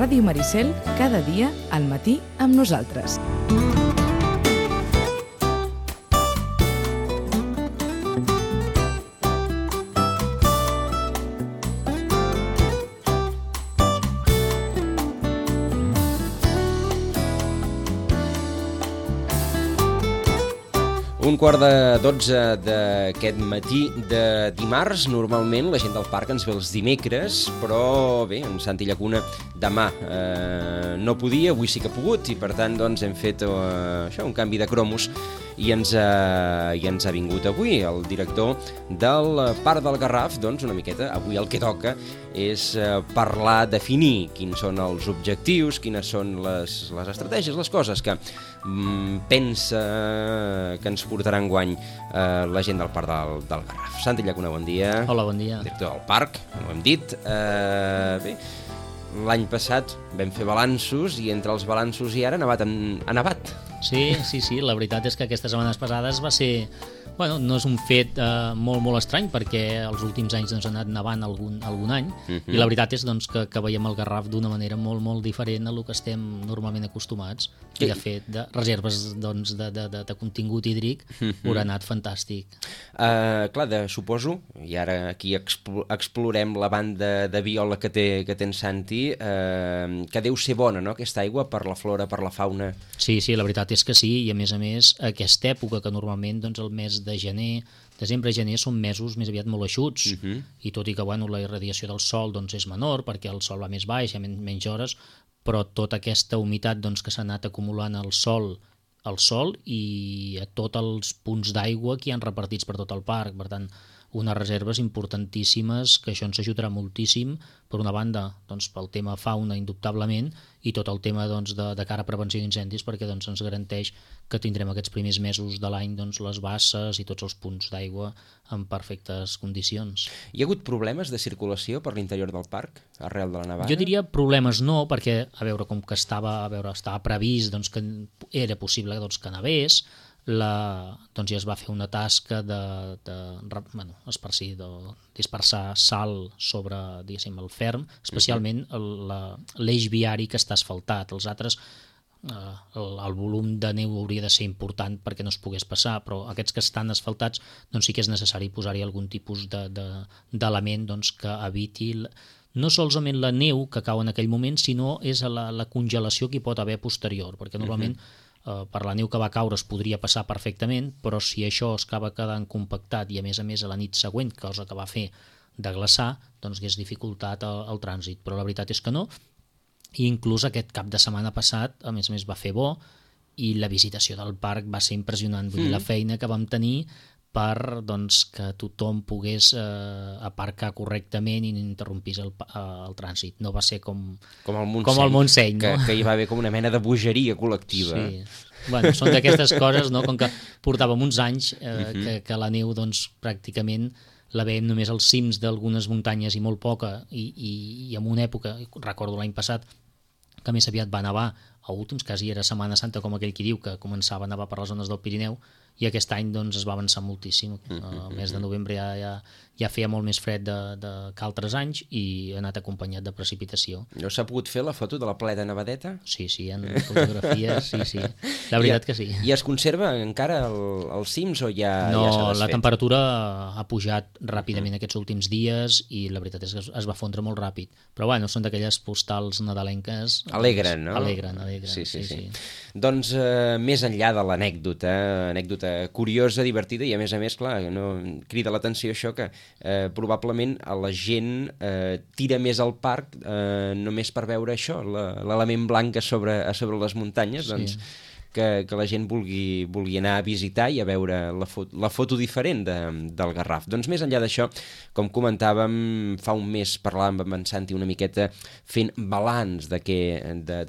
Ràdio Maricel, cada dia al matí amb nosaltres. Un quart de 12 d'aquest matí de dimarts. Normalment la gent del parc ens ve els dimecres, però bé, en Santi Llacuna demà no podia, avui sí que ha pogut, i per tant doncs, hem fet un canvi de cromos i ens ha vingut avui el director del Parc del Garraf. Doncs una miqueta, avui el que toca és parlar, definir quins són els objectius, quines són les estratègies, les coses que pensa que ens portaran guany la gent del Parc del Garraf. Santi Llacuna, bon dia. Hola, bon dia. Director del parc, ho hem dit. Bé, l'any passat vam fer balanços i entre els balanços i ara ha nevat. Sí, la veritat és que aquestes setmanes passades va ser... Bueno, no és un fet molt estrany perquè els últims anys doncs, ha anat nevant algun any i la veritat és doncs, que veiem el Garraf d'una manera molt diferent a lo que estem normalment acostumats i de fet de reserves doncs, de contingut hídric haurà anat fantàstic. Clar, suposo, i ara aquí explorem la banda de viola que té en Santi, que deu ser bona, no?, aquesta aigua per la flora, per la fauna. Sí, la veritat és que sí, i a més aquesta època que normalment doncs, el mes de gener, desembre-gener són mesos més aviat molt eixuts i tot i que la irradiació del sol doncs, és menor perquè el sol va més baix, hi ha menys hores, però tota aquesta humitat doncs, que s'ha anat acumulant al sol i a tots els punts d'aigua que hi han repartits per tot el parc, per tant unes reserves importantíssimes que això ens ajudarà moltíssim per una banda doncs, pel tema fauna indubtablement i tot el tema doncs, de cara a prevenció d'incendis perquè doncs, ens garanteix que tindrem aquests primers mesos de l'any doncs, les basses i tots els punts d'aigua en perfectes condicions. Hi ha hagut problemes de circulació per l'interior del parc arrel de la nevada? Jo diria problemes no, perquè a veure com que estava previst doncs, que era possible doncs, que nevés, doncs ja es va fer una tasca dispersar sal sobre el ferm, especialment l'eix viari que està asfaltat. Els altres, el volum de neu hauria de ser important perquè no es pogués passar, però aquests que estan asfaltats doncs sí que és necessari posar-hi algun tipus d'element doncs, que eviti no solament la neu que cau en aquell moment, sinó és la congelació que hi pot haver posterior, perquè normalment per la neu que va caure es podria passar perfectament, però si això es acaba quedant compactat i a més a la nit següent, cosa que va fer de glaçar, doncs hagués dificultat el trànsit, però la veritat és que no, i inclús aquest cap de setmana passat, a més va fer bo, i la visitació del parc va ser impressionant, vull dir, la feina que vam tenir per doncs, que tothom pogués aparcar correctament i no interrompís el trànsit. No va ser com el Montseny, no? Que hi va haver com una mena de bogeria col·lectiva. Sí. Bueno, són d'aquestes coses, no? Com que portàvem uns anys que la neu doncs, pràcticament la veiem només als cims d'algunes muntanyes i molt poca, i en una època, recordo l'any passat, que més aviat va nevar, a últims, quasi era Setmana Santa, com aquell qui diu, que començava a nevar per les zones del Pirineu, i aquest any doncs, es va avançar moltíssim. El mes de novembre ja feia molt més fred que altres anys i ha anat acompanyat de precipitació. No s'ha pogut fer la foto de la plena nevadeta? Sí, en fotografies, sí. La veritat que sí. I es conserva encara els cims o ja no, s'ha desfet? La temperatura ha pujat ràpidament aquests últims dies i la veritat és que es va fondre molt ràpid. Però bueno, són d'aquelles postals nadalenques. Alegren, no? Alegren. Sí. Doncs més enllà de l'anècdota curiosa, divertida i a més, clar, no, crida l'atenció això que probablement a la gent tira més al parc només per veure això, l'element blanc a sobre les muntanyes, doncs que la gent vulgui anar a visitar i a veure la foto diferent del Garraf. Doncs més enllà d'això, com comentàvem, fa un mes parlàvem amb en Santi una miqueta fent balanç de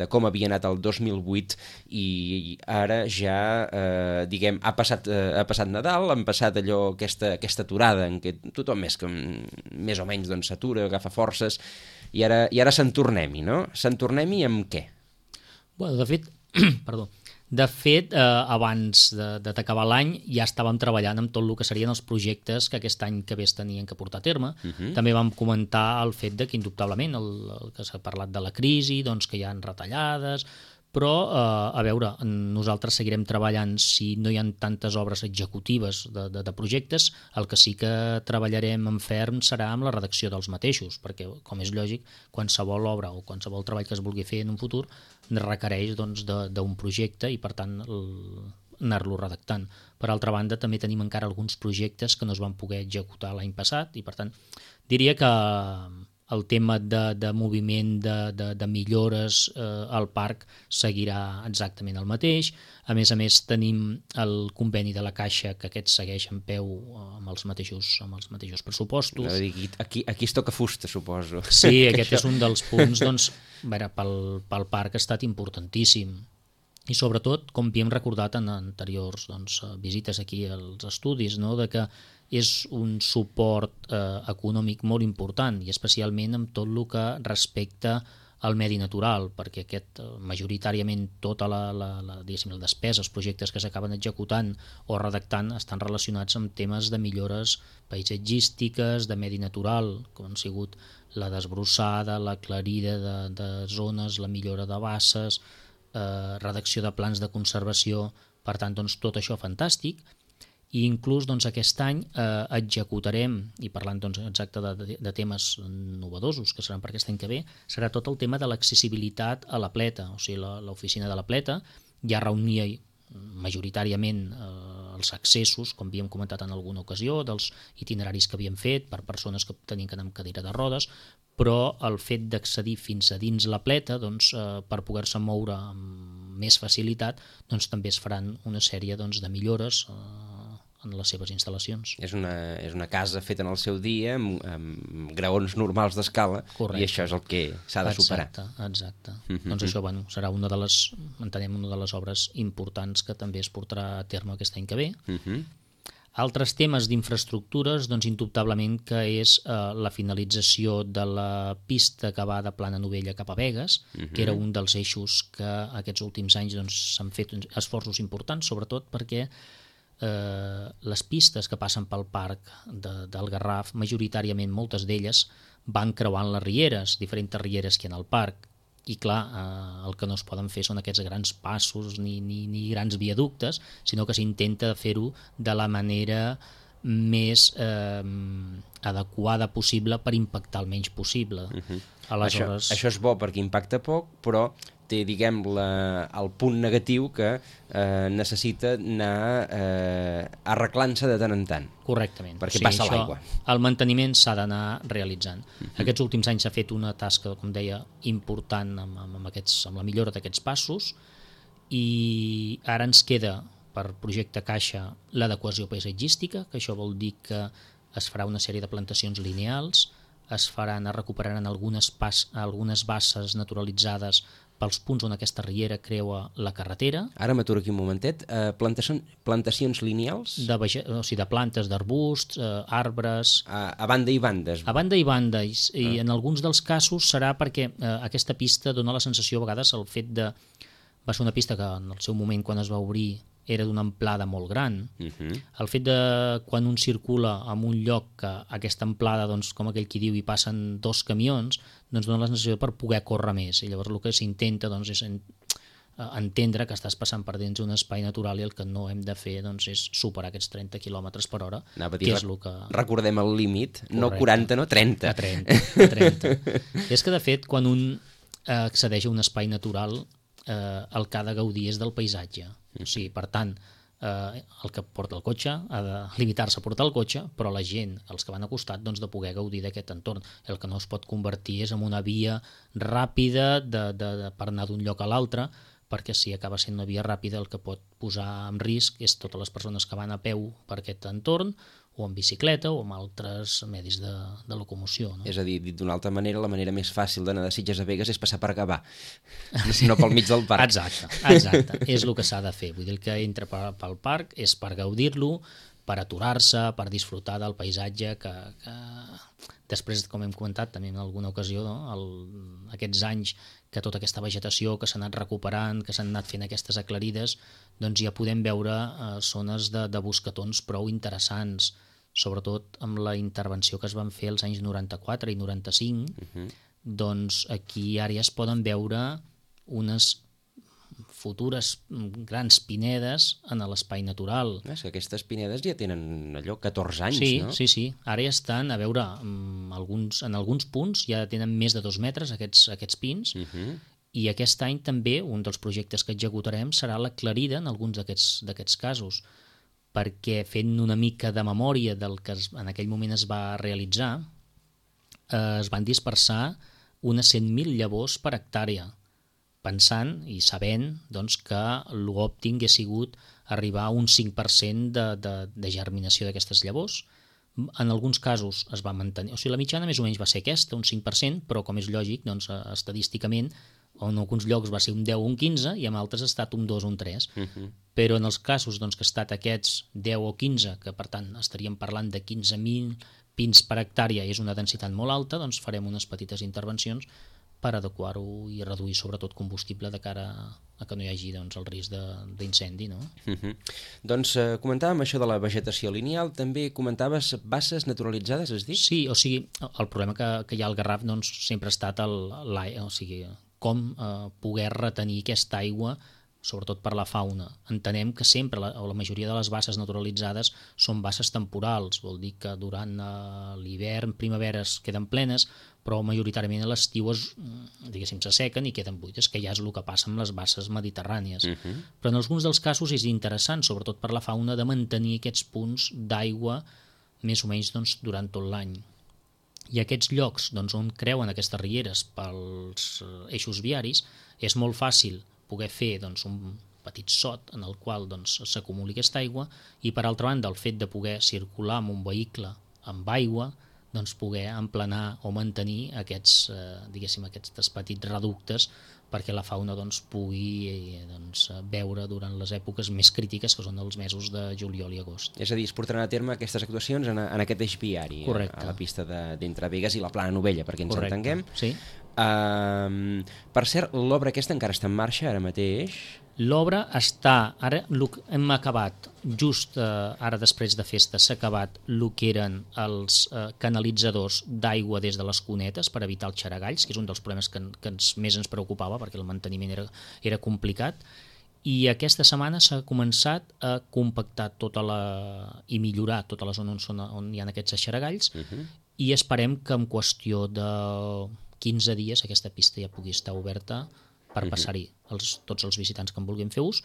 com havia anat el 2008 i ara ja, diguem, ha passat Nadal, han passat aquesta aturada en què tothom més o menys doncs, s'atura, agafa forces i ara se'n tornem-hi, no? Se'n tornem-hi amb què? Bueno, de fet, De fet, abans d'acabar l'any ja estàvem treballant amb tot el que serien els projectes que aquest any que ve es tenien que portar a terme. També vam comentar el fet de que indubtablement el que s'ha parlat de la crisi, doncs que hi ha retallades, però a veure, nosaltres seguirem treballant. Si no hi ha tantes obres executives de projectes, el que sí que treballarem en ferm serà amb la redacció dels mateixos, perquè, com és lògic, qualsevol obra o qualsevol treball que es vulgui fer en un futur requereix doncs, d'un projecte i per tant anar-lo redactant. Per altra banda, també tenim encara alguns projectes que no es van poder executar l'any passat i per tant diria que el tema de moviment de millores al parc seguirà exactament el mateix. A més, tenim el conveni de la Caixa, que aquest segueix en peu amb els mateixos pressupostos. Aquí es toca fusta, suposo. Sí, aquest és un dels punts, doncs, pel parc ha estat importantíssim. I sobretot, com havíem recordat en anteriors visites aquí als estudis, no? De que és un suport econòmic molt important i especialment amb tot el que respecta al medi natural, perquè majoritàriament tota la despesa, els projectes que s'acaben executant o redactant estan relacionats amb temes de millores paisatgístiques, de medi natural, com han sigut la desbrossada, l'aclarida de zones, la millora de basses, redacció de plans de conservació. Per tant, doncs, tot això fantàstic. I inclús aquest any executarem, i parlant exacte de temes novedosos que seran per aquest any que ve, serà tot el tema de l'accessibilitat a la pleta. O sigui, l'oficina de la pleta ja reunia majoritàriament els accessos, com havíem comentat en alguna ocasió, dels itineraris que havíem fet per persones que tenien que anar amb cadira de rodes, però el fet d'accedir fins a dins la pleta, per poder-se moure amb més facilitat, també es faran una sèrie de millores en les seves instal·lacions. És una casa feta en el seu dia, amb graons normals d'escala, i això és el que s'ha de superar. Exacte. Doncs això serà una de les obres importants que també es portarà a terme aquest any que ve. Altres temes d'infraestructures, indubtablement que és la finalització de la pista que va de Plana Novella cap a Begues, que era un dels eixos que aquests últims anys s'han fet esforços importants, sobretot perquè les pistes que passen pel parc del Garraf, majoritàriament moltes d'elles van creuant les rieres, diferents rieres que hi ha al parc, i clar, el que no es poden fer són aquests grans passos ni grans viaductes, sinó que s'intenta fer-ho de la manera més adequada possible per impactar el menys possible. Aleshores... Això és bo perquè impacta poc, però té, diguem, el punt negatiu que necessita anar arreglant-se de tant en tant. Correctament. Perquè passa l'aigua. El manteniment s'ha d'anar realitzant. Aquests últims anys s'ha fet una tasca, com deia, important amb la millora d'aquests passos i ara ens queda per projecte Caixa l'adequació paisatgística, que això vol dir que es farà una sèrie de plantacions lineals, es recuperaran algunes basses naturalitzades pels punts on aquesta riera creua la carretera. Ara m'aturo aquí un momentet. Plantacions lineals? O sigui, de plantes, d'arbusts, arbres... A banda i bandes. A banda i banda, i en alguns dels casos serà perquè aquesta pista dona la sensació a vegades el fet de... Va ser una pista que en el seu moment, quan es va obrir, era d'una amplada molt gran. El fet de quan un circula en un lloc que aquesta amplada, com aquell qui diu, hi passen 2 camions, dona la sensació per poder córrer més. I llavors el que s'intenta és entendre que estàs passant per dins un espai natural i el que no hem de fer és superar aquests 30 km per hora, que és el que... Recordem el límit, no 40, no 30. A 30. És que, de fet, quan un accedeix a un espai natural, el que ha de gaudir és del paisatge. O sigui, per tant, el que porta el cotxe ha de limitar-se a portar el cotxe, però la gent, els que van a costat, de poder gaudir d'aquest entorn. El que no es pot convertir és en una via ràpida per anar d'un lloc a l'altre, perquè si acaba sent una via ràpida el que pot posar en risc és totes les persones que van a peu per aquest entorn, o en bicicleta o amb altres medis de locomoció. No? És a dir, dit d'una altra manera, la manera més fàcil d'anar de Sitges a Begues és passar per Gavà, no pel mig del parc. Exacte. És el que s'ha de fer. Vull dir, que entra pel parc és per gaudir-lo, per aturar-se, per disfrutar del paisatge que després, com hem comentat també en alguna ocasió, aquests anys que tota aquesta vegetació que s'ha anat recuperant, que s'han anat fent aquestes aclarides, doncs ja podem veure zones de bosquetons prou interessants, sobretot amb la intervenció que es van fer als anys 94 i 95, doncs aquí ara ja es poden veure unes futures grans pinedes en l'espai natural. És que aquestes pinedes ja tenen allò 14 anys, sí, no? Sí, ara ja estan, a veure, en alguns punts ja tenen més de 2 metres aquests pins, i aquest any també un dels projectes que executarem serà l'aclarida en alguns d'aquests casos, perquè fent una mica de memòria del que en aquell moment es va realitzar, es van dispersar unes 100.000 llavors per hectàrea, pensant i sabent doncs, que l'òptim hauria sigut arribar a un 5% de germinació d'aquestes llavors. En alguns casos es va mantenir, o sigui, la mitjana més o menys va ser aquesta, un 5%, però com és lògic, doncs, estadísticament, en alguns llocs va ser un 10 o un 15 i en altres ha estat un 2 o un 3. Però en els casos doncs, que ha estat aquests 10 o 15, que per tant estaríem parlant de 15.000 pins per hectàrea i és una densitat molt alta, doncs farem unes petites intervencions per adequar-ho i reduir sobretot combustible de cara a que no hi hagi doncs, el risc d'incendi. No? Doncs comentàvem això de la vegetació lineal, també comentaves basses naturalitzades, has dit? Sí, o sigui, el problema que hi ha al Garraf doncs, sempre ha estat com poder retenir aquesta aigua, sobretot per la fauna. Entenem que sempre, o la majoria de les basses naturalitzades són basses temporals, vol dir que durant l'hivern, primavera es queden plenes, però majoritàriament a l'estiu se sequen i queden buides, que ja és el que passa amb les basses mediterrànies. Però en alguns dels casos és interessant, sobretot per la fauna, de mantenir aquests punts d'aigua més o menys doncs, durant tot l'any. I aquests llocs doncs, on creuen aquestes rieres pels eixos viaris, és molt fàcil poder fer doncs, un petit sot en el qual doncs, s'acumuli aquesta aigua i, per altra banda, el fet de poder circular amb un vehicle amb aigua, doncs, poder emplenar o mantenir aquests petits reductes perquè la fauna doncs, pugui veure durant les èpoques més crítiques, que són els mesos de juliol i agost. És a dir, es portaran a terme aquestes actuacions en aquest eix viari, a la pista d'entre Begues i la Plana Novella, perquè ens entenguem. Sí. Per cert, l'obra aquesta encara està en marxa ara mateix? L'obra està, ara hem acabat, just ara després de festa, s'ha acabat el que eren els canalitzadors d'aigua des de les cunetes per evitar els xaragalls, que és un dels problemes que més ens preocupava perquè el manteniment era complicat, i aquesta setmana s'ha començat a compactar i millorar tota la zona on hi ha aquests xaragalls, i esperem que en qüestió de 15 dies aquesta pista ja pugui estar oberta per passar-hi tots els visitants que en vulguin fer ús,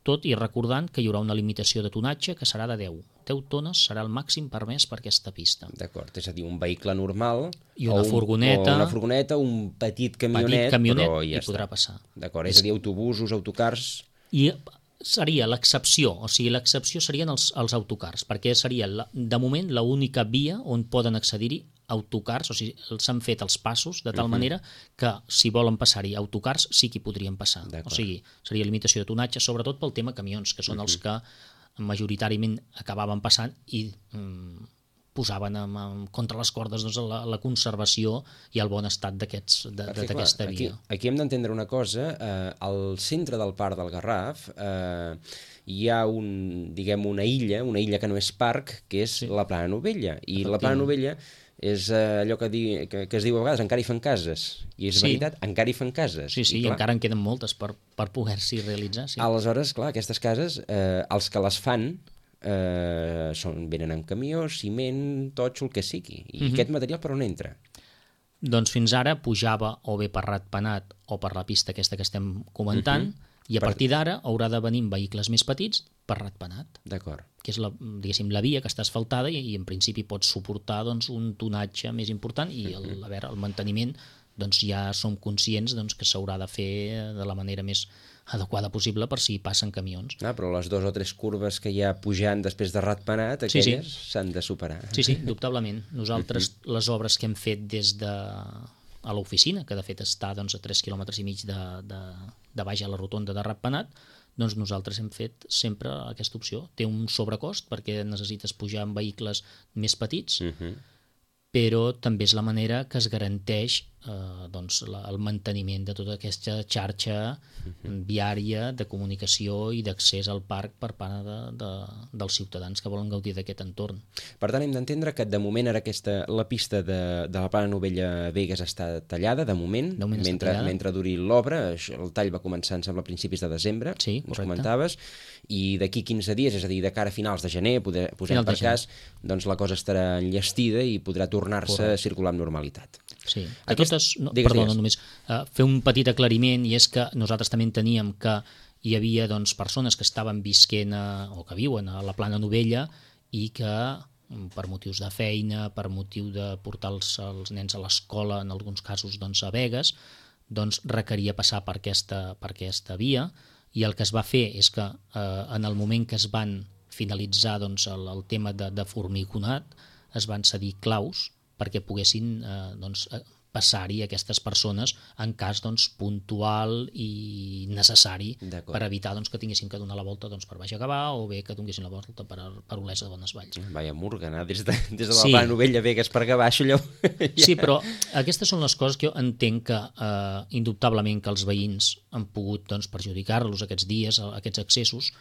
tot i recordant que hi haurà una limitació de tonatge que serà de 10. 10 tones serà el màxim permès per aquesta pista. D'acord, és a dir, un vehicle normal i una furgoneta, un petit camionet però ja hi podrà passar. D'acord, és a dir, autobusos, autocars... I seria l'excepció, o sigui, l'excepció serien els autocars, perquè seria, de moment, l'única via on poden accedir-hi autocars, o sigui, s'han fet els passos de tal manera que si volen passar-hi autocars sí que hi podrien passar. O sigui, seria limitació de tonatge, sobretot pel tema camions, que són els que majoritàriament acabaven passant i posaven contra les cordes doncs, la conservació i el bon estat d'aquesta via. Aquí hem d'entendre una cosa, al centre del Parc del Garraf hi ha una illa que no és parc, que és la Plana Novella, i la Plana Novella és allò que es diu a vegades, encara hi fan cases, i és veritat, encara hi fan cases. Sí, i encara en queden moltes per poder-s'hi realitzar. Aleshores, clar, aquestes cases, els que les fan venen amb camió, ciment, totxo, el que sigui. I aquest material per on entra? Doncs fins ara pujava o bé per Ratpenat o per la pista aquesta que estem comentant, i a partir d'ara haurà de venir vehicles més petits per Ratpenat. D'acord. Que és la via que està asfaltada i en principi pot suportar doncs, un tonatge més important i el manteniment doncs, ja som conscients doncs, que s'haurà de fer de la manera més adequada possible per si passen camions. Però les 2 o 3 curves que hi ha pujant després de Ratpenat, aquelles s'han de superar. Sí, indubtablement. Nosaltres les obres que hem fet des de a l'oficina, que de fet està doncs, a 3 quilòmetres i mig de baix a la rotonda de Ratpenat, doncs nosaltres hem fet sempre aquesta opció. Té un sobrecost perquè necessites pujar amb vehicles més petits, però també és la manera que es garanteix el manteniment de tota aquesta xarxa viària de comunicació i d'accés al parc per part dels ciutadans que volen gaudir d'aquest entorn. Per tant, hem d'entendre que de moment ara la pista de la Plana Novella Begues està tallada, de moment mentre duri l'obra. El tall va començar, em sembla, a principis de desembre, sí, ens comentaves, i d'aquí 15 dies, és a dir, de cara a finals de gener, posem per cas, doncs la cosa estarà enllestida i podrà tornar-se a circular amb normalitat. Sí, només fer un petit aclariment, i és que nosaltres també enteníem que hi havia persones que estaven visquent o que viuen a la Plana Novella i que per motius de feina, per motiu de portar els nens a l'escola, en alguns casos a Begues, requeria passar per aquesta via, i el que es va fer és que en el moment que es van finalitzar el tema de formigonat, es van cedir claus perquè poguessin passar-hi aquestes persones en cas puntual i necessari per evitar que tinguessin que donar la volta per Baix a Gavà o bé que donessin la volta per Olesa de Bonesvalls. Vaya murga, anar des de la Plana Novella Begues per Gavà, això allò... Sí, però aquestes són les coses que jo entenc que indubtablement que els veïns han pogut perjudicar-los aquests dies, aquests accessos,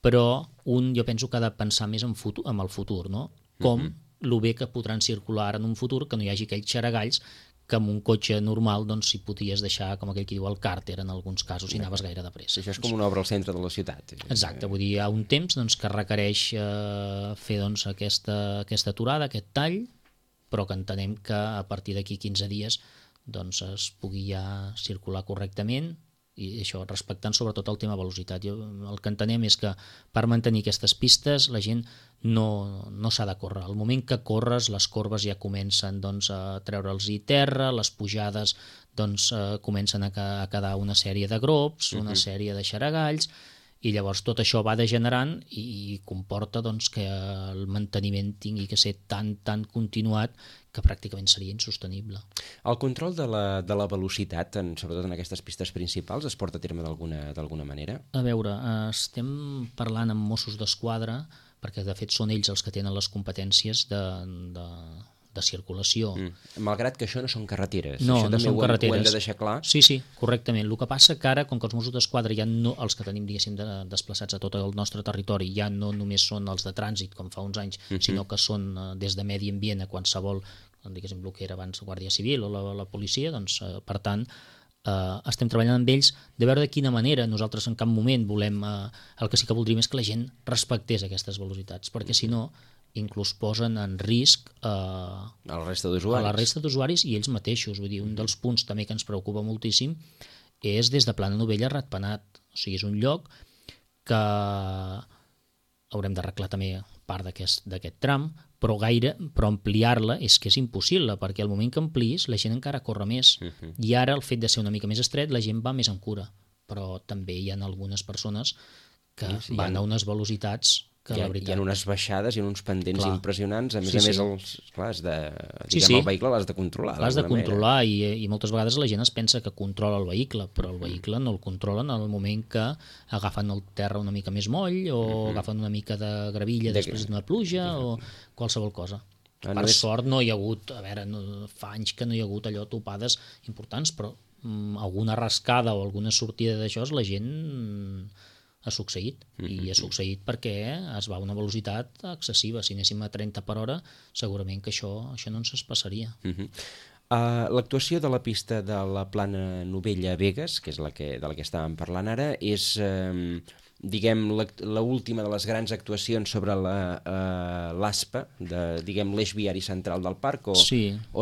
però jo penso que ha de pensar més en el futur, no? Com lo bé que podran circular en un futur, que no hi hagi aquells xaragalls que amb un cotxe normal s'hi podies deixar, com aquell que diu, el càrter en alguns casos, i anaves gaire de pressa. Això és com una obra al centre de la ciutat. Exacte, vull dir, hi ha un temps que requereix fer aquesta aturada, aquest tall, però que entenem que a partir d'aquí 15 dies es pugui ja circular correctament, i això respectant sobretot el tema velocitat. El que entenem és que per mantenir aquestes pistes la gent no s'ha de córrer. Al moment que corres, les corbes ja comencen a treure'ls-hi terra, les pujades comencen a quedar una sèrie de grops, una sèrie de xaragalls, i llavors tot això va degenerant i comporta que el manteniment tingui que ser tan continuat que pràcticament seria insostenible. El control de la velocitat, sobretot en aquestes pistes principals, es porta a terme d'alguna manera? A veure, estem parlant amb Mossos d'Esquadra, perquè de fet són ells els que tenen les competències de circulació. Malgrat que això no són carreteres. No, això no són carreteres. Ho hem de deixar clar. Sí, correctament. El que passa que ara, com que els Mossos d'Esquadra ja no, els que tenim, diguéssim, desplaçats a tot el nostre territori, ja no només són els de trànsit, com fa uns anys, sinó que són des de medi ambient a qualsevol, diguéssim, el que era abans la Guàrdia Civil o la policia, per tant, estem treballant amb ells de veure de quina manera. Nosaltres en cap moment volem... el que sí que voldríem és que la gent respectés aquestes velocitats, perquè si no inclús posen en risc a la resta d'usuaris i ells mateixos. Vull dir, un dels punts també que ens preocupa moltíssim és des de Plana Novella a Ratpenat. O sigui, és un lloc que haurem d'arreglar també part d'aquest tram, però ampliar-la és que és impossible, perquè al moment que ampliïs la gent encara corre més, i ara el fet de ser una mica més estret la gent va més en cura, però també hi ha algunes persones que van a unes velocitats que la veritat... Hi ha unes baixades i uns pendents impressionants, a més, el vehicle l'has de controlar. L'has de controlar i moltes vegades la gent es pensa que controla el vehicle, però el vehicle no el controlen en el moment que agafen el terra una mica més moll o agafen una mica de gravilla després d'una pluja o qualsevol cosa. Per sort no hi ha hagut, fa anys que no hi ha hagut allò topades importants, però alguna rascada o alguna sortida d'això la gent... ha succeït, i ha succeït perquè es va a una velocitat excessiva. Si anéssim a 30 per hora, segurament que això no ens passaria. L'actuació de la pista de la Plana Novella Begues, que és de la que estàvem parlant ara, és, diguem, l'última de les grans actuacions sobre l'ASPA, diguem, l'eix viari central del parc, o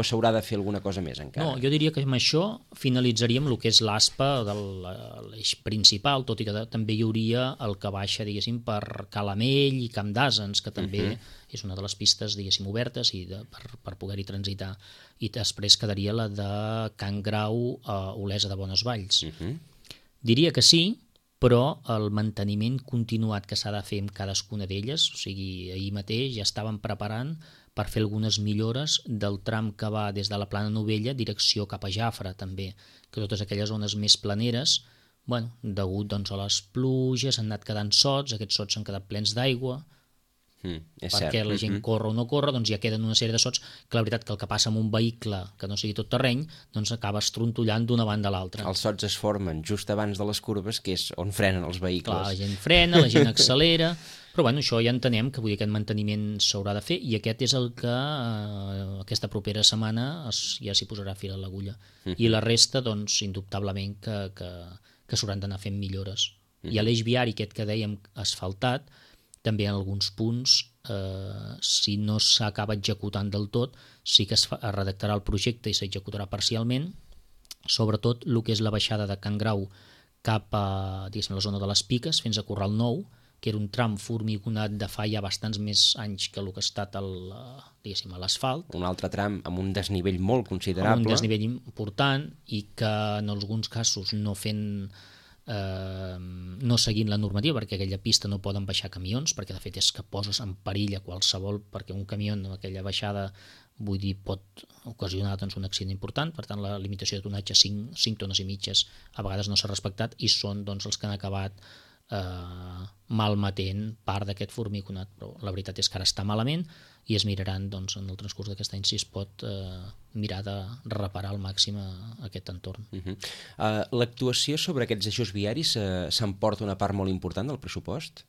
s'haurà de fer alguna cosa més encara? No, jo diria que amb això finalitzaríem el que és l'ASPA de l'eix principal, tot i que també hi hauria el que baixa, diguéssim, per Calamell i Camp d'Asens, que també és una de les pistes, diguéssim, obertes per poder-hi transitar, i després quedaria la de Can Grau a Olesa de Bonesvalls. Diria que sí, però el manteniment continuat que s'ha de fer amb cadascuna d'elles, o sigui, ahir mateix ja estàvem preparant per fer algunes millores del tram que va des de la Plana Novella direcció cap a Jafre, també, que totes aquelles zones més planeres, degut a les pluges, han anat quedant sots, aquests sots han quedat plens d'aigua, És perquè cert. la gent corre o no corre, doncs ja queden una sèrie de sots que la veritat que el que passa amb un vehicle que no sigui tot terreny, doncs acaba estrontollant d'una banda a l'altra. Els sots es formen just abans de les curves, que és on frenen els vehicles. Clar, la gent frena, la gent accelera, però bueno, això ja entenem que vull dir, aquest manteniment s'haurà de fer i aquest és el que aquesta propera setmana ja s'hi posarà fil a l'agulla. I la resta, doncs, indubtablement que s'hauran d'anar fent millores. I a l'eix viari aquest que dèiem asfaltat, també en alguns punts, si no s'acaba executant del tot, sí que es redactarà el projecte i s'executarà parcialment, sobretot el que és la baixada de Can Grau cap a la zona de les Piques fins a Corral Nou, que era un tram formigonat de fa ja bastants més anys que el que ha estat a l'asfalt. Un altre tram amb un desnivell molt considerable. Amb un desnivell important i que en alguns casos no fent... no seguint la normativa, perquè aquella pista no poden baixar camions, perquè de fet és que poses en perill a qualsevol, perquè un camió en aquella baixada vull dir, pot ocasionar doncs, un accident important, per tant la limitació de tonatge 5 tones i mitges a vegades no s'ha respectat i són doncs, els que han acabat malmetent part d'aquest formigonat, però la veritat és que ara està malament i es miraran doncs, en el transcurs d'aquest any si es pot mirar de reparar al màxim aquest entorn. L'actuació sobre aquests eixos viaris s'emporta una part molt important del pressupost?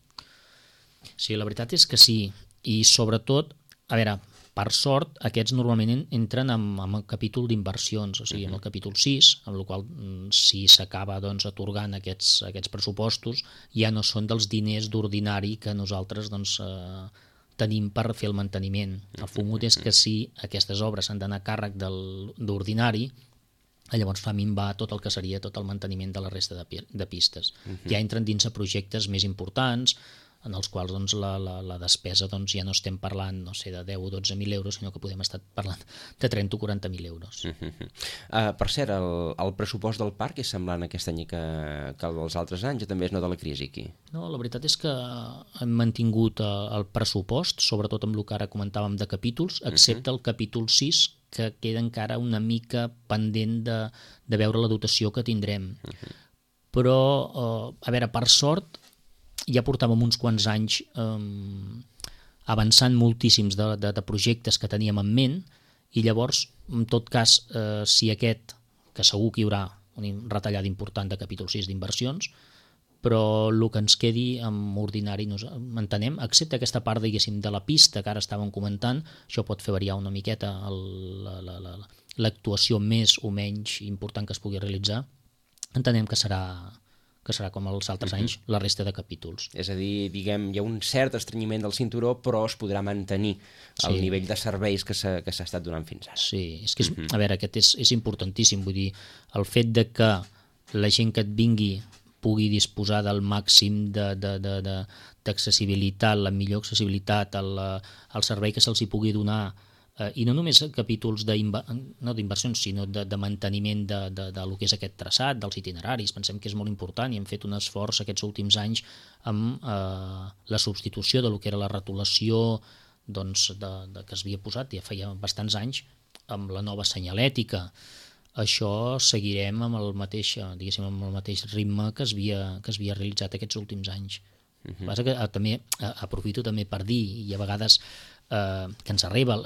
Sí, la veritat és que sí, i sobretot, a veure, per sort, aquests normalment entren en el capítol d'inversions, o sigui, en el capítol 6, amb el qual si s'acaba doncs, atorgant aquests pressupostos, ja no són dels diners d'ordinari que nosaltres doncs, tenim per fer el manteniment. El fumut és que si aquestes obres s'han d'anar a càrrec d'ordinari, llavors fa minvar tot el que seria tot el manteniment de la resta de pistes. Ja entren dins a projectes més importants, en els quals doncs, la despesa doncs, ja no estem parlant no sé, de 10 o 12.000 euros, sinó que podem estar parlant de 30 o 40.000 euros. Per cert, el pressupost del parc és semblant aquest any que el dels altres anys o també es nota la crisi aquí? No, la veritat és que hem mantingut el pressupost, sobretot amb el que ara comentàvem de capítols, excepte el capítol 6, que queda encara una mica pendent de veure la dotació que tindrem. Però, a veure, per sort, ja portàvem uns quants anys avançant moltíssims de projectes que teníem en ment i llavors, en tot cas, si aquest, que segur que hi haurà una retallada important de capítol 6 d'inversions, però el que ens quedi amb ordinari entenem, excepte aquesta part diguéssim de la pista que ara estàvem comentant, això pot fer variar una miqueta l'actuació més o menys important que es pugui realitzar, entenem que serà com els altres anys, la resta de capítols. És a dir, diguem, hi ha un cert estrenyiment del cinturó, però es podrà mantenir el nivell de serveis que s'ha estat donant fins ara. Sí, és que, a veure, aquest és importantíssim, vull dir, el fet de que la gent que et vingui pugui disposar del màxim d'accessibilitat, la millor accessibilitat, el servei que se'ls hi pugui donar, i no només capítols no d'inversions, sinó de manteniment de lo que és aquest traçat, dels itineraris. Pensem que és molt important i hem fet un esforç aquests últims anys amb la substitució de lo que era la retolació doncs, que es havia posat ja feia bastants anys amb la nova senyalètica. Això seguirem amb el mateix ritme que es havia realitzat aquests últims anys. Passa que també aprofito també per dir, i a vegades que ens arriba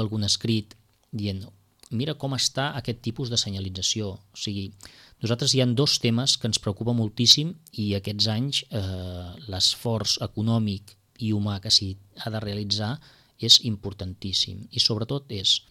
algun escrit dient mira com està aquest tipus de senyalització. O sigui, nosaltres hi ha 2 temes que ens preocupa moltíssim i aquests anys l'esforç econòmic i humà que s'hi ha de realitzar és importantíssim. I sobretot és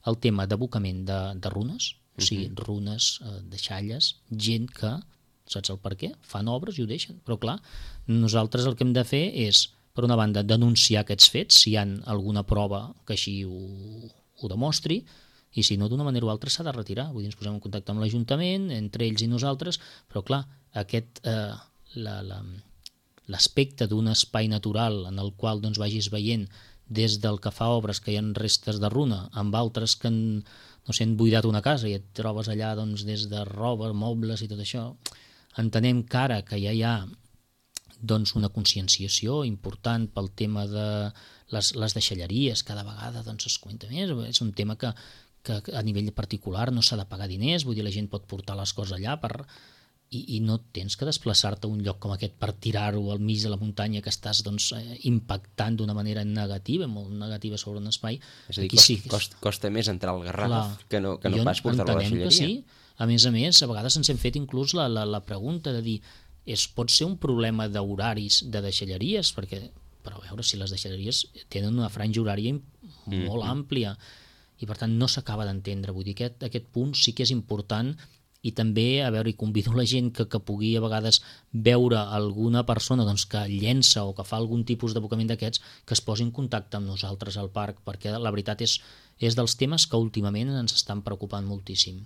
el tema d'abocament de runes, o sigui, runes, deixalles, gent que, saps el per què? Fan obres i ho deixen. Però clar, nosaltres el que hem de fer és per una banda, denunciar aquests fets, si hi ha alguna prova que així ho demostri, i si no, d'una manera o altra s'ha de retirar. Vull dir, ens posem en contacte amb l'Ajuntament, entre ells i nosaltres, però clar, l'aspecte d'un espai natural en el qual doncs, vagis veient des del que fa obres que hi ha restes de runa, amb altres que han buidat una casa i et trobes allà doncs, des de roba, mobles i tot això, entenem que ara que ja hi ha doncs, una conscienciació important pel tema de les deixalleries, cada vegada doncs, es comenta més, és un tema que a nivell particular no s'ha de pagar diners, vull dir, la gent pot portar les coses allà i no tens que desplaçar-te a un lloc com aquest per tirar-ho al mig de la muntanya que estàs doncs, impactant d'una manera negativa, molt negativa sobre un espai. És a dir, costa més entrar al Garraf que no pas portar-lo a la deixalleria. Sí. A més, a vegades ens hem fet inclús la pregunta de dir pot ser un problema d'horaris de deixalleries, però a veure si les deixalleries tenen una franja horària molt àmplia i per tant no s'acaba d'entendre. Vull dir que aquest punt sí que és important. I també, a veure, i convido la gent que pugui a vegades veure alguna persona doncs, que llença o que fa algun tipus d'abocament d'aquests, que es posi en contacte amb nosaltres al parc, perquè la veritat és dels temes que últimament ens estan preocupant moltíssim.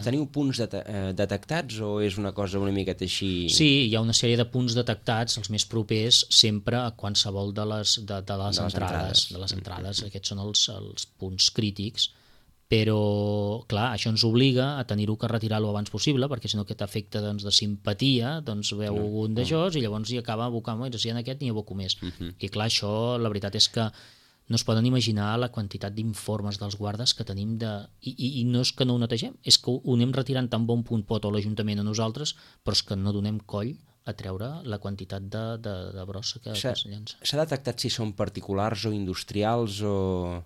Teniu punts detectats o és una cosa una miqueta així? Sí, hi ha una sèrie de punts detectats, els més propers sempre a qualsevol de les entrades. Aquests són els punts crítics, però, clar, això ens obliga a tenir-ho que retirar-lo abans possible, perquè si no aquest efecte doncs, de simpatia doncs veu un d'aixòs i llavors hi acaba abocant, si hi ha aquest n'hi aboco més. I clar, això la veritat és que no es poden imaginar la quantitat d'informes dels guardes que tenim i no és que no ho netegem, és que ho anem retirant tan bon punt pot o l'Ajuntament a nosaltres, però és que no donem coll a treure la quantitat de brossa que es llença. S'ha detectat si són particulars o industrials o...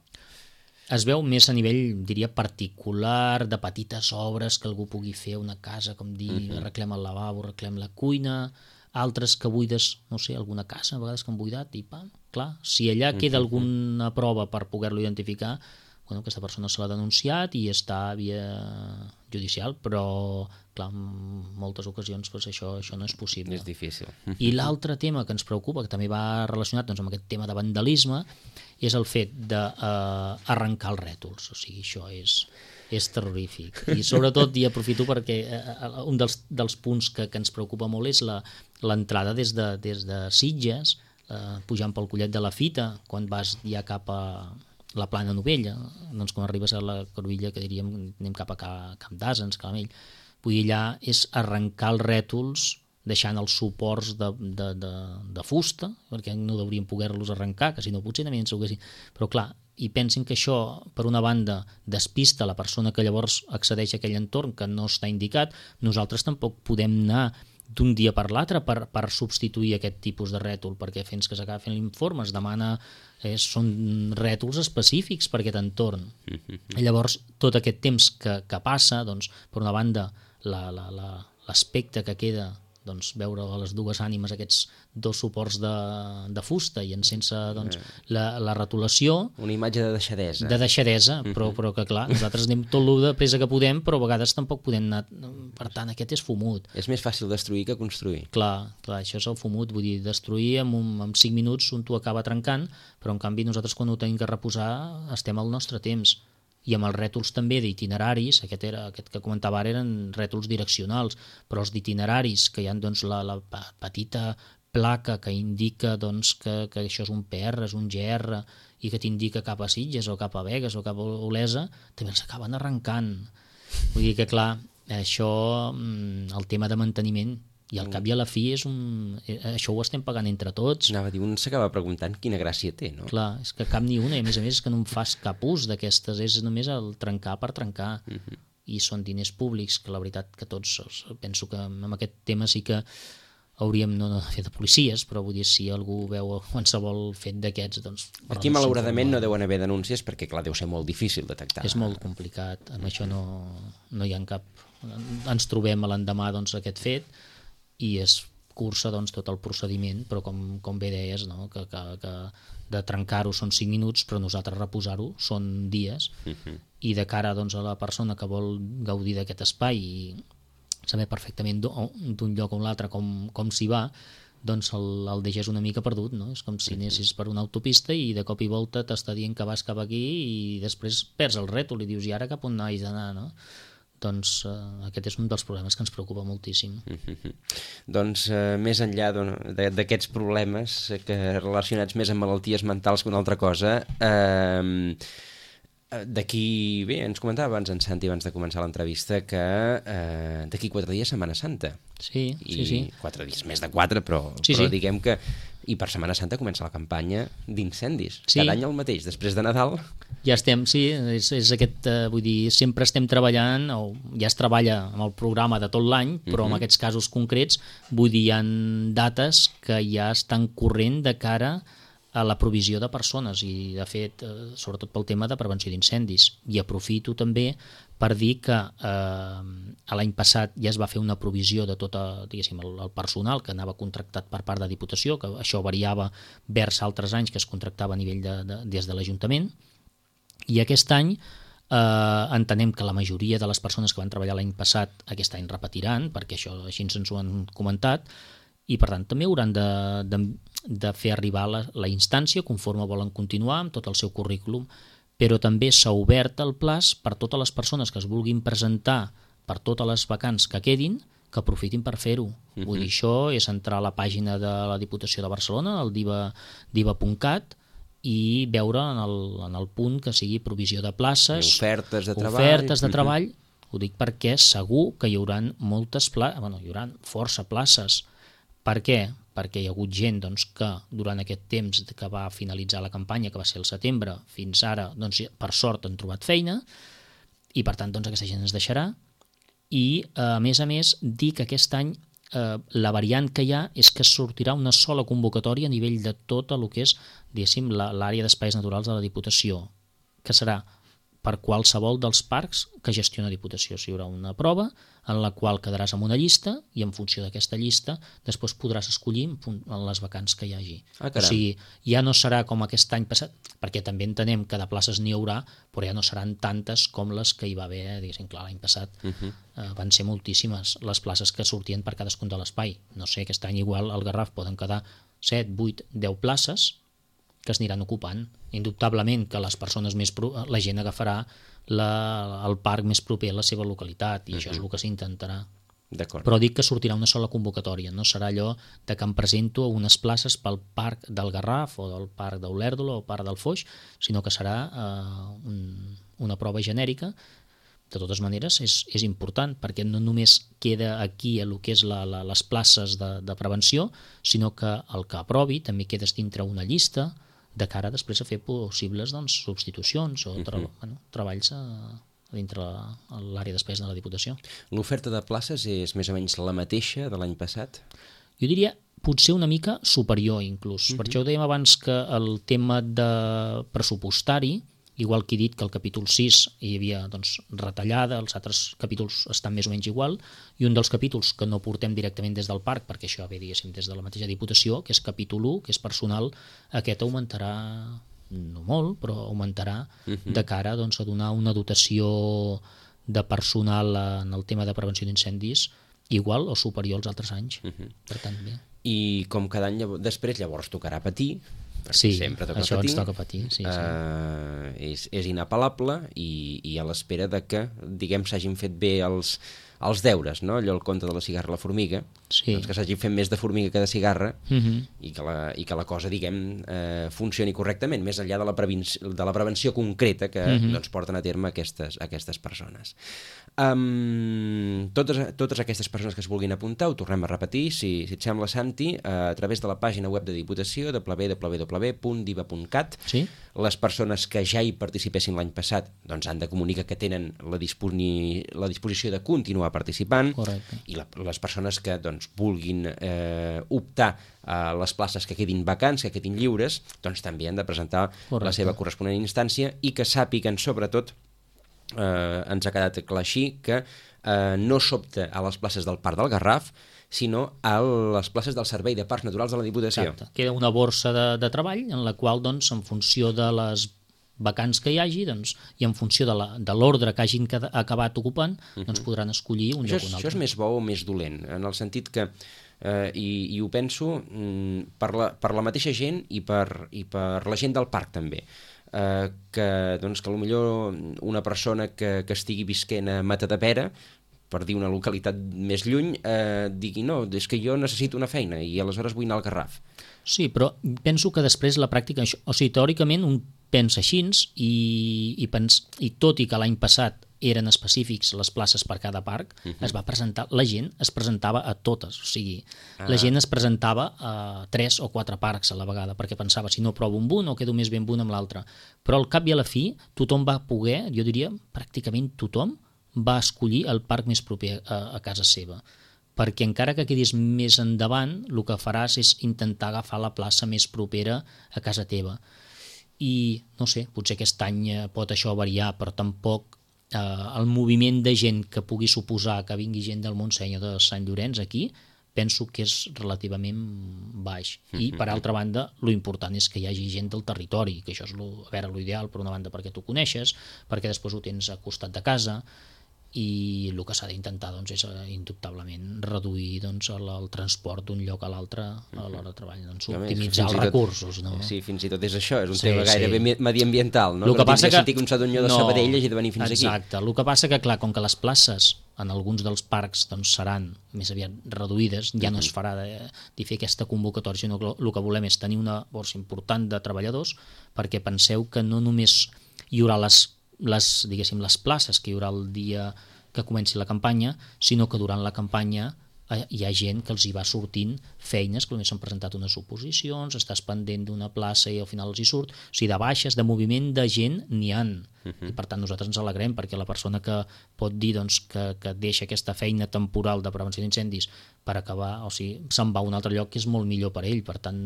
Es veu més a nivell, diria, particular, de petites obres que algú pugui fer a una casa, com dir, arreglem el lavabo, arreglem la cuina, altres que buides, no sé, alguna casa, a vegades que han buidat, i pam, clar, si allà queda alguna prova per poder-lo identificar, bueno, aquesta persona se l'ha denunciat i està a via judicial, però, clar, en moltes ocasions doncs, això no és possible. És difícil. I l'altre tema que ens preocupa, que també va relacionat doncs, amb aquest tema de vandalisme, és el fet d'arrencar els rètols. O sigui, això és terrorífic. I sobretot, i aprofito perquè un dels punts que ens preocupa molt és l'entrada des de Sitges, pujant pel Collet de la Fita, quan vas ja cap a la Plana Novella, doncs quan arribes a la Corbilla, que diríem anem cap a Camp d'Asens, Calamell, vull dir, allà és arrencar els rètols deixant els suports de fusta, perquè no hauríem poder-los arrencar, que si no potser també ens ho Però clar, i pensin que això, per una banda, despista la persona que llavors accedeix a aquell entorn que no està indicat, nosaltres tampoc podem anar d'un dia per l'altre per substituir aquest tipus de rètol, perquè fins que s'acaba fent l'informe es demana, són rètols específics per aquest entorn. Llavors, tot aquest temps que passa, doncs, per una banda, l'aspecte que queda, doncs, veure a les dues ànimes aquests dos suports de fusta i sense doncs, la retolació. Una imatge de deixadesa. De deixadesa, però que clar, nosaltres anem tot el de pressa que podem, però a vegades tampoc podem anar... Per tant, aquest és fumut. És més fàcil destruir que construir. Clar, això és el fumut, vull dir, destruir en 5 minuts un t'ho acaba trencant, però en canvi nosaltres quan ho tenim que reposar estem al nostre temps. I amb els rètols també d'itineraris, aquest que comentava ara eren rètols direccionals, però els d'itineraris, que hi ha doncs, la petita placa que indica doncs, que això és un PR, és un GR, i que t'indica cap a Sitges o cap a Begues o cap a Olesa, també els acaben arrencant. Vull dir que, clar, això, el tema de manteniment, i al cap i a la fi això ho estem pagant entre tots. Anava a dir, un s'acaba preguntant quina gràcia té, no? Clar, és que cap ni una, i a més és que no en fas cap ús d'aquestes, és només el trencar per trencar. I són diners públics, que la veritat que tots, penso que amb aquest tema sí que hauríem no de fer de policies, però vull dir, si algú veu qualsevol fet d'aquests, doncs... Aquí, malauradament, no deuen haver denúncies perquè, clar, deu ser molt difícil detectar. És molt complicat, amb això no hi ha cap... Ens trobem a l'endemà doncs, aquest fet, i es cursa doncs, tot el procediment, però com bé deies, no? que de trencar-ho són 5 minuts, però nosaltres reposar-ho són dies, i de cara doncs, a la persona que vol gaudir d'aquest espai i saber perfectament d'un lloc a un altre com s'hi va, doncs el deixes una mica perdut, no? És com si anessis per una autopista i de cop i volta t'està dient que vas cap aquí i després perds el rètol i dius, i ara cap on haig d'anar, no? Doncs aquest és un dels problemes que ens preocupa moltíssim. Doncs més enllà d'aquests problemes relacionats més amb malalties mentals que una altra cosa, d'aquí, bé, ens comentava abans en Santi, abans de començar l'entrevista, que d'aquí 4 dies Setmana Santa. Sí. 4 dies, més de 4, però diguem que... I per Setmana Santa comença la campanya d'incendis. Cada any el mateix, després de Nadal... Ja estem, sí, és aquest, vull dir, sempre estem treballant, o ja es treballa amb el programa de tot l'any, però en aquests casos concrets, vull dir, hi ha dates que ja estan corrent de cara a la provisió de persones i, de fet, sobretot pel tema de prevenció d'incendis. I aprofito també per dir que l'any passat ja es va fer una provisió de tot el personal que anava contractat per part de Diputació, que això variava vers altres anys que es contractava a nivell des de l'Ajuntament, i aquest any entenem que la majoria de les persones que van treballar l'any passat aquest any repetiran, perquè això així ens ho han comentat, i per tant també hauran de fer arribar la instància conforme volen continuar amb tot el seu currículum, però també s'ha obert el plaç per totes les persones que es vulguin presentar per totes les vacants que quedin, que aprofitin per fer-ho. Vull dir, això és entrar a la pàgina de la Diputació de Barcelona, el diva.cat, i veure en el punt que sigui provisió de places, ofertes de treball. Ho dic perquè segur que hi haurà moltes places, hi haurà força places. Per què? Perquè hi ha hagut gent que durant aquest temps que va finalitzar la campanya, que va ser el setembre, fins ara, per sort han trobat feina, i per tant aquesta gent es deixarà. I a més, dir que aquest any la variant que hi ha és que sortirà una sola convocatòria a nivell de tot el que és, diguéssim, l'àrea d'espais naturals de la Diputació, que serà per qualsevol dels parcs que gestiona Diputació. Hi haurà una prova en la qual quedaràs amb una llista i en funció d'aquesta llista després podràs escollir en les vacants que hi hagi. O sigui, ja no serà com aquest any passat, perquè també entenem que de places n'hi haurà, però ja no seran tantes com les que hi va haver, diguéssim, clar, l'any passat. Van ser moltíssimes les places que sortien per cadascun de l'espai. No sé, aquest any igual al Garraf poden quedar 7, 8, 10 places que es aniran ocupant. Indubtablement que les persones la gent agafarà el parc més proper a la seva localitat, i això és el que s'intentarà. Però dic que sortirà una sola convocatòria, no serà allò de que em presento a unes places pel parc del Garraf o del parc d'Olèrdola o el parc del Foix, sinó que serà una prova genèrica. De totes maneres, és important, perquè no només queda aquí el que és les places de prevenció, sinó que el que aprovi també quedes dintre una llista de cara després a fer possibles substitucions o treballs dintre l'àrea d'espais de la Diputació. L'oferta de places és més o menys la mateixa de l'any passat? Jo diria potser una mica superior inclús. Per això ho dèiem abans que el tema de pressupostari, igual que he dit que al capítol 6 hi havia retallada, els altres capítols estan més o menys igual, i un dels capítols que no portem directament des del parc, perquè això ve, diguéssim, des de la mateixa Diputació, que és capítol 1, que és personal, aquest augmentarà, no molt, però augmentarà de cara a donar una dotació de personal en el tema de prevenció d'incendis igual o superior als altres anys. Per tant, bé. I com cada any després llavors tocarà patir, sí, això ens toca patir. És inapel·lable i a l'espera de que, diguem, s'hagin fet bé els deures, no? Allò el conte de la cigarra i la formiga, doncs que s'hagin fet més de formiga que de cigarra, i que la cosa, diguem, funcioni correctament, més enllà de la prevenció concreta que porten a terme aquestes persones. Totes aquestes persones que es vulguin apuntar, ho tornem a repetir, si et sembla, Santi, a través de la pàgina web de Diputació, www.diva.cat. Les persones que ja hi participessin l'any passat han de comunicar que tenen la disposició de continuar participant. Correcte. I les persones que vulguin optar a les places que quedin vacants, que quedin lliures, també han de presentar la seva corresponent instància, i que sàpiguen, sobretot, ens ha quedat clar així, que no s'opta a les places del Parc del Garraf, sinó a les places del Servei de Parcs Naturals de la Diputació. Exacte. Queda una borsa de treball en la qual, en funció de les vacants que hi hagi, i en funció de l'ordre que hagin acabat ocupant, podran escollir un lloc o un altre. Això és més bo o més dolent, en el sentit que, i ho penso, per la mateixa gent i per la gent del parc també, que potser una persona que estigui visquent a Matadepera, per dir una localitat més lluny, digui, no, és que jo necessito una feina i aleshores vull anar al Garraf. Sí, però penso que després la pràctica, o sigui, teòricament un pensa així, i tot i que l'any passat eren específics les places per cada parc, es va presentar, la gent es presentava a totes, o sigui, la gent es presentava a 3 o 4 parcs a la vegada, perquè pensava, si no provo amb un o quedo més bé amb un amb l'altre. Però al cap i a la fi, tothom va poder, jo diria, pràcticament tothom va escollir el parc més proper a casa seva, perquè encara que quedis més endavant, el que faràs és intentar agafar la plaça més propera a casa teva. I, no sé, potser aquest any pot això variar, però tampoc el moviment de gent que pugui suposar que vingui gent del Montseny o de Sant Llorenç aquí, penso que és relativament baix. I, per altra banda, lo important és que hi hagi gent del territori, que això és l'ideal, per una banda, perquè tu coneixes, perquè després ho tens a costat de casa, i el que s'ha d'intentar doncs, és indubtablement reduir doncs, el transport d'un lloc a l'altre a l'hora de treball, doncs, optimitzar els recursos. No? Sí, fins i tot és això, és un tema gairebé mediambiental, no? El que passa que sentir que un sadonyó de Sabadell hagi de venir fins aquí. Exacte, el que passa que, clar, com que les places en alguns dels parcs doncs, seran més aviat reduïdes, ja no es farà de fer aquesta convocatòria, sinó que el que volem és tenir una borsa important de treballadors, perquè penseu que no només hi haurà les places que hi haurà el dia que comenci la campanya, sinó que durant la campanya hi ha gent que els hi va sortint feines, que només s'han presentat unes oposicions, estàs pendent d'una plaça i al final els hi surt, o sigui, de baixes, de moviment de gent n'hi han, i per tant nosaltres ens alegrem, perquè la persona que pot dir doncs, que deixa aquesta feina temporal de prevenció d'incendis per acabar, o sigui, se'n va a un altre lloc que és molt millor per ell, per tant,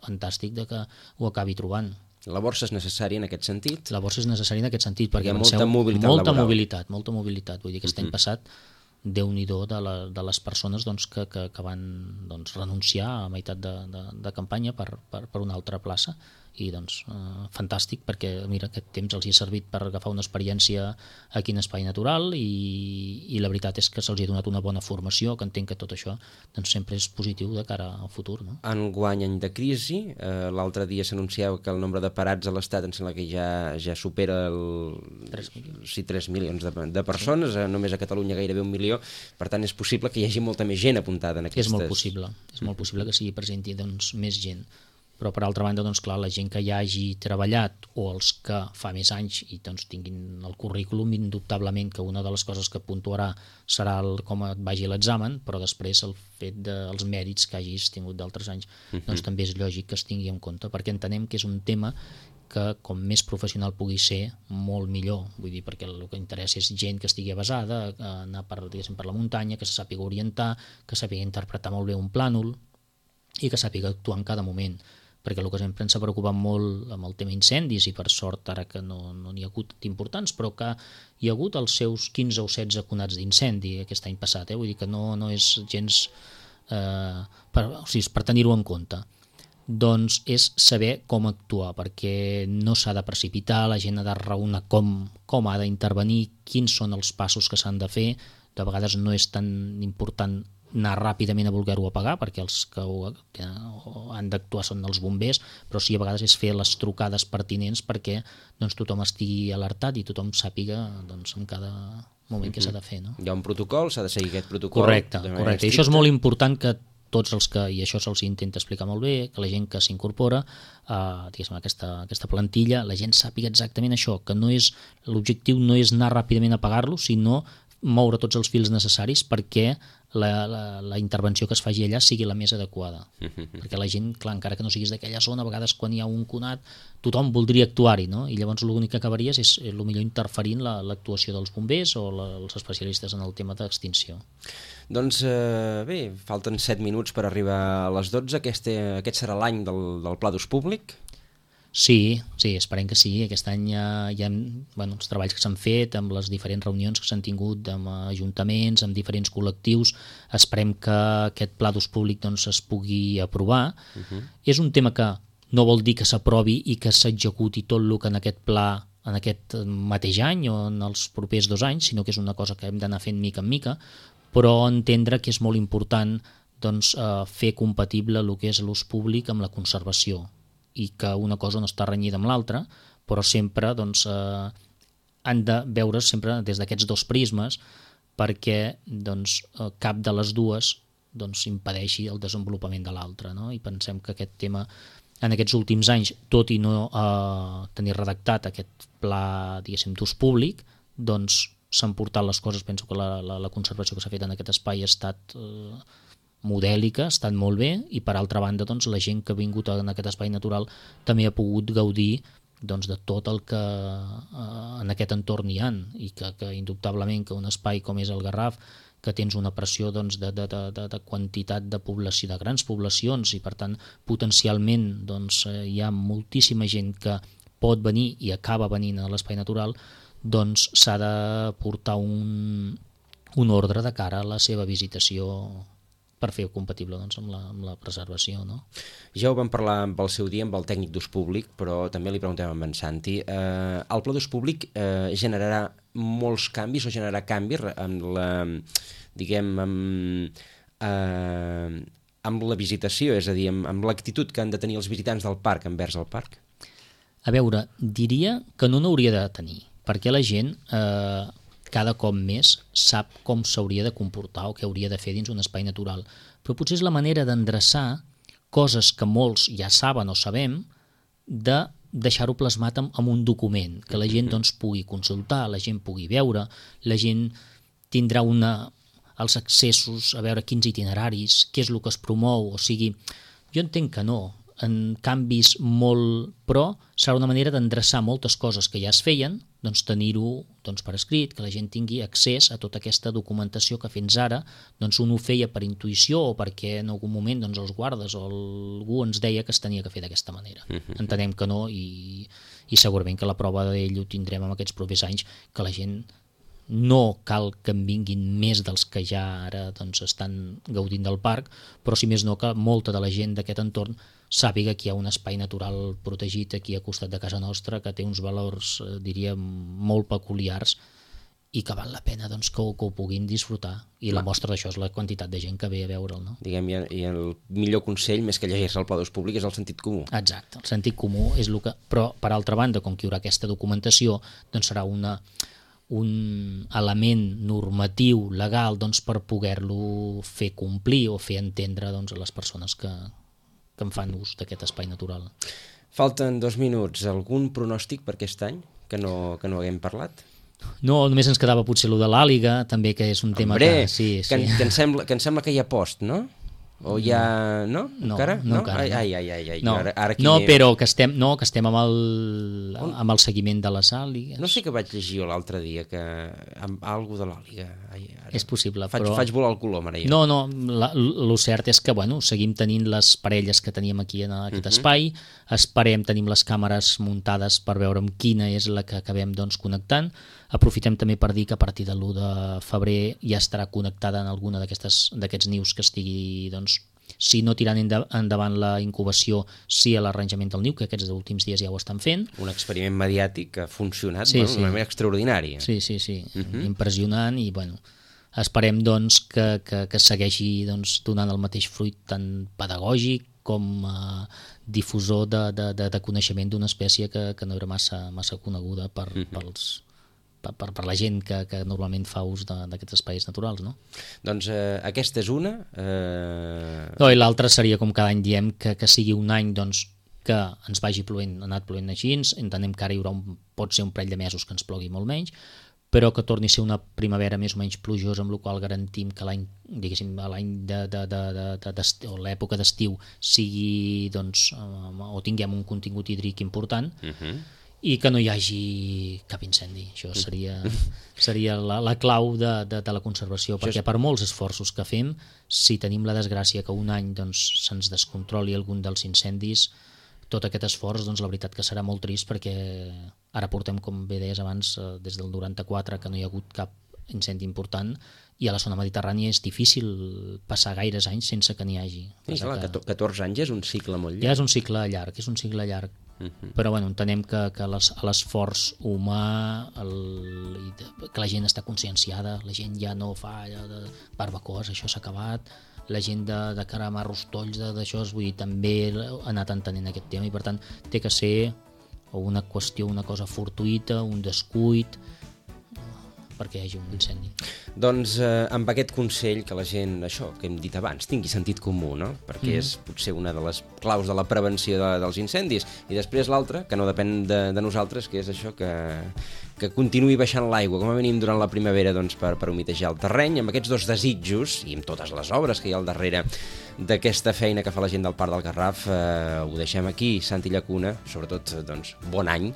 fantàstic de que ho acabi trobant. La borsa és necessària en aquest sentit? La borsa és necessària en aquest sentit, perquè hi ha molta mobilitat molta mobilitat. Vull dir que aquest any passat, Déu-n'hi-do de les persones doncs, que van doncs, renunciar a meitat de campanya per una altra plaça, i doncs fantàstic, perquè mira, aquest temps els hi ha servit per agafar una experiència aquí en espai natural, i la veritat és que se'ls ha donat una bona formació, que entenc que tot això doncs, sempre és positiu de cara al futur. No? Enguany any de crisi, l'altre dia s'anunciava que el nombre de parats a l'Estat em sembla que ja supera 3 milions de persones, només a Catalunya gairebé 1 milió, per tant és possible que hi hagi molta més gent apuntada en aquestes... És molt possible que s'hi presenti doncs, més gent. Però per altra banda, doncs, clar, la gent que ja hagi treballat o els que fa més anys i doncs, tinguin el currículum, indubtablement que una de les coses que puntuarà serà com et vagi l'examen, però després el fet dels mèrits que hagis tingut d'altres anys doncs, també és lògic que es tingui en compte, perquè entenem que és un tema que com més professional pugui ser, molt millor. Vull dir, perquè el que interessa és gent que estigui avesada, anar per la muntanya, que se sàpiga orientar, que sàpiga interpretar molt bé un plànol i que sàpiga actuar en cada moment. Perquè el que sempre ens ha preocupat molt amb el tema incendis, i per sort ara que no n'hi ha hagut importants, però que hi ha hagut els seus 15 o 16 conats d'incendi aquest any passat, vull dir que no és gens per tenir-ho en compte. Doncs és saber com actuar, perquè no s'ha de precipitar, la gent ha de raonar com ha d'intervenir, quins són els passos que s'han de fer. De vegades no és tan important anar ràpidament a voler-ho apagar, perquè els que han d'actuar són els bombers, però sí a vegades és fer les trucades pertinents perquè doncs, tothom estigui alertat i tothom sàpiga doncs, en cada moment què s'ha de fer. No? Hi ha un protocol, s'ha de seguir aquest protocol. Correcte. I això és molt important, que tots els que, i això se'ls intenta explicar molt bé, que la gent que s'incorpora a aquesta plantilla, la gent sàpiga exactament això, que l'objectiu no és anar ràpidament a apagar-lo, sinó moure tots els fils necessaris perquè la intervenció que es faci allà sigui la més adequada. Perquè la gent, clar, encara que no siguis d'aquella zona, a vegades quan hi ha un conat, tothom voldria actuar-hi, no? I llavors l'únic que acabaries és millor interferint l'actuació dels bombers o els especialistes en el tema d'extinció. Doncs bé, falten 7 minuts per arribar a les 12. Aquest serà l'any del Pla d'Ús Públic? Sí, esperem que sí. Aquest any hi ha els treballs que s'han fet amb les diferents reunions que s'han tingut amb ajuntaments, amb diferents col·lectius. Esperem que aquest pla d'ús públic doncs, es pugui aprovar. És un tema que no vol dir que s'aprovi i que s'executi tot el que en aquest pla en aquest mateix any o en els propers 2 anys, sinó que és una cosa que hem d'anar fent mica en mica, però entendre que és molt important doncs, fer compatible el que és l'ús públic amb la conservació, i que una cosa no està renyida amb l'altra, però sempre doncs, han de veure sempre des d'aquests 2 prismes, perquè doncs, cap de les dues doncs, impedeixi el desenvolupament de l'altra, no? I pensem que aquest tema en aquests últims anys, tot i no tenir redactat aquest pla d'ús públic, doncs s'han portat les coses, penso que la conservació que s'ha fet en aquest espai ha estat modèlica, ha estat molt bé, i per altra banda doncs, la gent que ha vingut en aquest espai natural també ha pogut gaudir doncs, de tot el que en aquest entorn hi ha, i que indubtablement que un espai com és el Garraf, que tens una pressió doncs, de quantitat de població, de grans poblacions, i per tant potencialment doncs, hi ha moltíssima gent que pot venir i acaba venint a l'espai natural, doncs s'ha de portar un ordre de cara a la seva visitació per fer-ho compatible doncs, amb la preservació. No? Ja ho vam parlar amb el seu dia amb el tècnic d'ús públic, però també li preguntem amb en Santi. El pla d'ús públic generarà molts canvis o generarà canvis amb la, diguem, amb la visitació, és a dir, amb l'actitud que han de tenir els visitants del parc envers el parc? A veure, diria que no n'hauria de tenir, perquè la gent cada cop més sap com s'hauria de comportar o què hauria de fer dins un espai natural. Però potser és la manera d'endreçar coses que molts ja saben o sabem, de deixar-ho plasmat en un document, que la gent doncs, pugui consultar, la gent pugui veure, la gent tindrà els accessos a veure quins itineraris, què és el que es promou, o sigui, jo entenc que no, en canvis molt, però serà una manera d'endreçar moltes coses que ja es feien, doncs tenir-ho doncs, per escrit, que la gent tingui accés a tota aquesta documentació que fins ara doncs, un ho feia per intuïció o perquè en algun moment doncs, els guardes o algú ens deia que es tenia que fer d'aquesta manera. Entenem que no, i segurament que la prova d'ell ho tindrem en aquests propers anys, que la gent no cal que en vinguin més dels que ja ara doncs, estan gaudint del parc, però si més no que molta de la gent d'aquest entorn sàpiga que hi ha un espai natural protegit aquí a costat de casa nostra, que té uns valors, diria, molt peculiars i que val la pena doncs, que ho puguin disfrutar. I la mostra d'això és la quantitat de gent que ve a veure'l. No? Diguem, i el millor consell, més que llegir-se el pla d'ús públic, és el sentit comú. Exacte, el sentit comú és el que... Però, per altra banda, com que hi haurà aquesta documentació, doncs serà un element normatiu, legal, doncs, per poder-lo fer complir o fer entendre doncs, a les persones que en fan ús d'aquest espai natural. Falten 2 minuts. Algun pronòstic per aquest any que no haguem parlat? No, només ens quedava potser allò de l'àliga, també, que és un tema que... Sí. Que em sembla que hi ha post, no? O ja... No? Encara? No, encara. Ai. No, ara però que estem amb el seguiment de les àligues. No sé què vaig llegir l'altre dia, que amb algú de l'àliga. És possible, però... Faig volar el colom, ara ja. No, el cert és que, bueno, seguim tenint les parelles que teníem aquí en aquest espai, tenim les càmeres muntades per veure amb quina és la que acabem doncs, connectant. Aprofitem també per dir que a partir de l'1 de febrer ja estarà connectada en alguna d'aquests nius que estigui, doncs, si no tirant endavant la incubació, sí a l'arranjament del niu, que aquests últims dies ja ho estan fent. Un experiment mediàtic que ha funcionat d'una manera extraordinària. Sí, impressionant, i bueno, esperem doncs, que segueixi doncs, donant el mateix fruit tant pedagògic com difusor de coneixement d'una espècie que no era massa coneguda per la gent que normalment fa ús d'aquests espais naturals, no? Doncs aquesta és una. No, i l'altra seria, com cada any diem, que sigui un any doncs, que ens vagi plovent, ha anat plovent així, entenem que ara hi haurà pot ser un parell de mesos que ens plogui molt menys, però que torni a ser una primavera més o menys plujosa, amb la qual garantim que l'any, diguéssim, l'any o l'època d'estiu sigui, doncs, o tinguem un contingut hídric important, i que no hi hagi cap incendi. Això seria la clau de la conservació, perquè per molts esforços que fem, si tenim la desgràcia que un any doncs, se'ns descontroli algun dels incendis, tot aquest esforç, doncs, la veritat que serà molt trist, perquè ara portem, com bé deies abans, des del 94 que no hi ha hagut cap incendi important, i a la zona mediterrània és difícil passar gaires anys sense que n'hi hagi. Sí, clar, 14 anys és un cicle molt llarg. Ja és un cicle llarg, però bueno, entenem que l'esforç humà, que la gent està conscienciada, la gent ja no fa allò de barbacoes, això s'ha acabat, la gent de caramar rostolls d'això, vull dir, també ha anat entenent aquest tema, i per tant té que ser una qüestió, una cosa fortuïta, un descuit, perquè hi hagi un incendi. Doncs amb aquest consell que la gent, això que hem dit abans, tingui sentit comú, no? Perquè és potser una de les claus de la prevenció dels incendis. I després l'altra, que no depèn de nosaltres, que és això que continuï baixant l'aigua, com a mínim durant la primavera, doncs, per humitejar el terreny, amb aquests dos desitjos, i amb totes les obres que hi ha al darrere d'aquesta feina que fa la gent del Parc del Garraf, ho deixem aquí, Santi Llacuna, sobretot, doncs, bon any.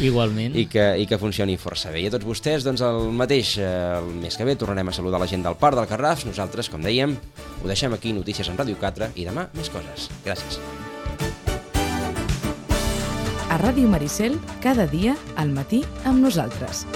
Igualment. I que funcioni força bé. I a tots vostès, doncs, el mateix, el mes que ve tornarem a saludar la gent del Parc del Garraf. Nosaltres, com dèiem, ho deixem aquí, notícies en Ràdio 4, i demà més coses. Gràcies. A Ràdio Maricel, cada dia, al matí, amb nosaltres.